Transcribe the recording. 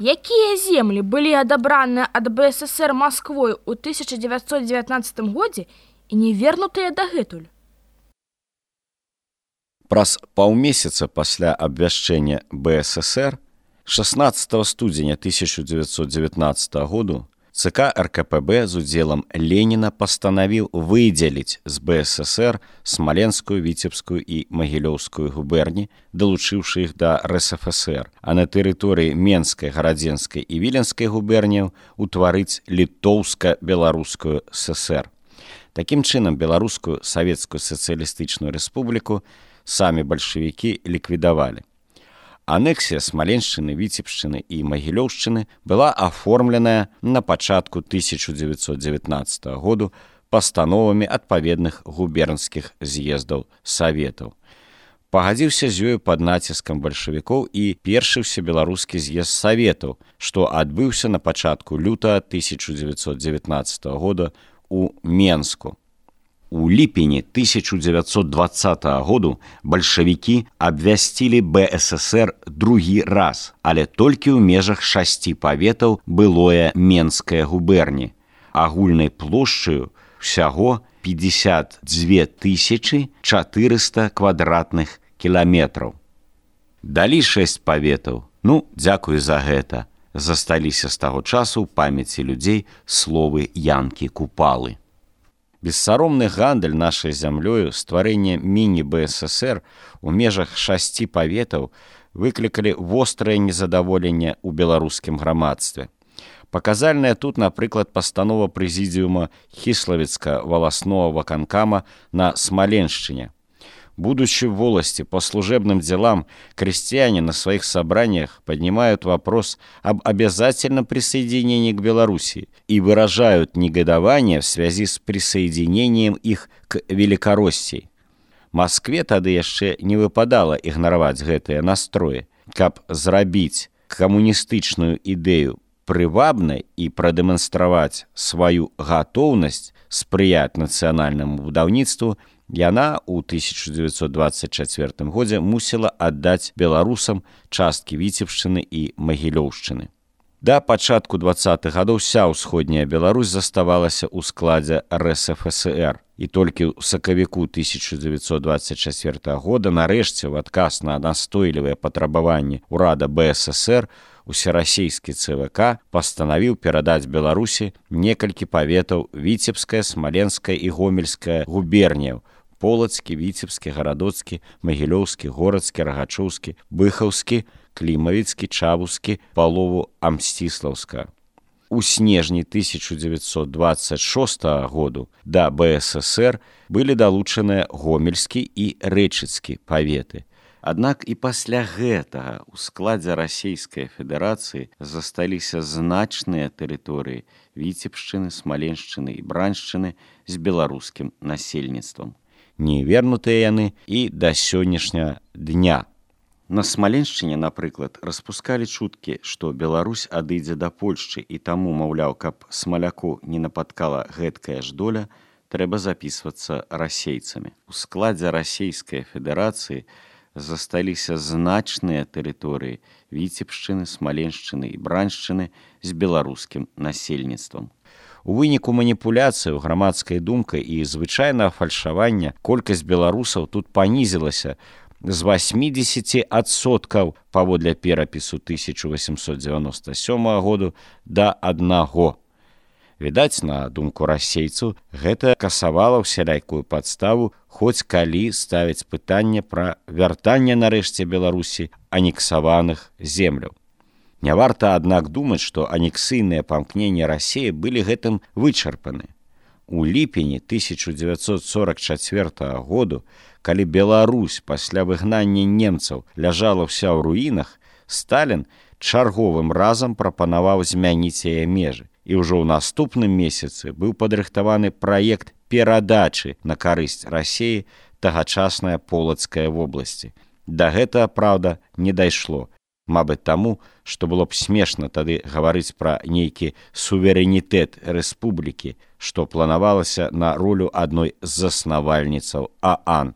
Якія землі былі адабраныя ад БССР Масквой ў 1919 годзе і не вернутыя дагэтуль? Праз паўмесяца пасля абвяшчэння БССР 16 студзеня 1919 году ЦК РКПБ з удзелам Леніна пастанавіў выдзеліць з БССР Смаленскую, Віцебскую і Магілёўскую губерні, далучыўшы іх да РСФСР, а на тэрыторыі Менскай, Гарадзенскай і Віленскай губерняў утварыць Літоўска-Беларускую ССР. Такім чынам, Беларускую Савецкую сацыялістычную рэспубліку самі бальшавікі ліквідавалі. Анексія Смаленшчыны, Віцебшчыны і Магілёўшчыны была аформленая на пачатку 1919 году пастановамі адпаведных губернскіх з'ездаў Саветаў. Пагадзіўся з ёю пад націскам бальшавікоў і першы ўсебеларускі з'езд Саветаў, што адбыўся на пачатку лютага 1919 года у Менску. У ліпені 1920 году бальшавікі абвясцілі БССР другі раз, але толькі ў межах 6 паветаў былое Менскае губерні, агульнай плошчаю ўсяго 52 400 квадратных кіламетраў. Далі 6 паветаў, дзякуй за гэта, засталіся з таго часу ў памяці людзей словы Янкі Купалы. Бессаромны гандаль нашай зямлёю, стварэнне міні-БССР у межах 6 паветаў выклікалі вострае незадаволенне ў беларускім грамадстве. Паказальная тут, напрыклад, пастанова прэзідыума Хіславіцка-валаснога ваканкама на Смаленшчыне. Будучи в волости по служебным делам, крестьяне на своих собраниях поднимают вопрос об обязательном присоединении к Белоруссии и выражают негодование в связи с присоединением их к Великороссии. Москве тады яшчэ не выпадала ігнараваць гэтыя настроі, каб зрабіць камуністычную ідэю прывабнай і прадэманстраваць сваю гатоўнасць спрыяць нацыянальнаму будаўніцтву, яна ў 1924 годзе мусіла аддаць беларусам часткі Віцебшчыны і Магілёўшчыны. Да пачатку 20-х гадоў вся ўсходняя Беларусь заставалася ў складзе РСФСР, і толькі ў сакавіку 1924 года нарэшце ў адказ на настойлівыя патрабаванні ўрада БССР усерасійскі ЦВК пастанавіў перадаць Беларусі некалькі паветаў Віцебская, Смаленская і Гомельская губерняў, Полацкі, Віцебскі, Гарадоцкі, Магілёўскі, Горацкі, Рагачоўскі, Быхаўскі, Клімавіцкі, Чавускі, палову Амсціслаўска. У снежні 1926 году да БССР былі далучаныя Гомельскі і Рэчыцкі паветы. Аднак і пасля гэтага ў складзе Расійскай Федэрацыі засталіся значныя тэрыторыі Віцебшчыны, Смаленшчыны і Браншчыны з беларускім насельніцтвам. Не вернутыя яны і да сённяшняга дня. На Смаленшчыне, напрыклад, распускалі чуткі, што Беларусь адыдзе да Польшчы і таму, маўляў, каб смаляку не напаткала гэткая ж доля, трэба запісвацца расейцамі. У складзе Расійскай Федэрацыі засталіся значныя тэрыторыі Віцебшчыны, Смаленшчыны і Браншчыны з беларускім насельніцтвам. У выніку маніпуляцыяў, грамадскай думкай і звычайнага фальшавання колькасць беларусаў тут панізілася з 80% паводле перапісу 1897 году да 1. Відаць, на думку расейцаў, гэта касавала ўсялякую падставу хоць калі ставіць пытанне пра вяртанне нарэшце Беларусі анексаваных земляў. Не варта, аднак, думаць, што анексійныя памкненні Расіі былі гэтым вычарпаны. У ліпені 1944 году, калі Беларусь пасля выгнання немцаў ляжала ўся ў руінах, Сталін чарговым разам прапанаваў змяніць яе межы. І ўжо ў наступным месяцы быў падрыхтаваны праект перадачы на карысць Расіі тагачаснай Полацкай вобласці. Да гэтага, праўда, не дайшло. Мабыць таму, што было б смешна тады гаварыць пра нейкі суверэнітэт рэспублікі, што планавалася на ролю адной з заснавальніцаў ААН.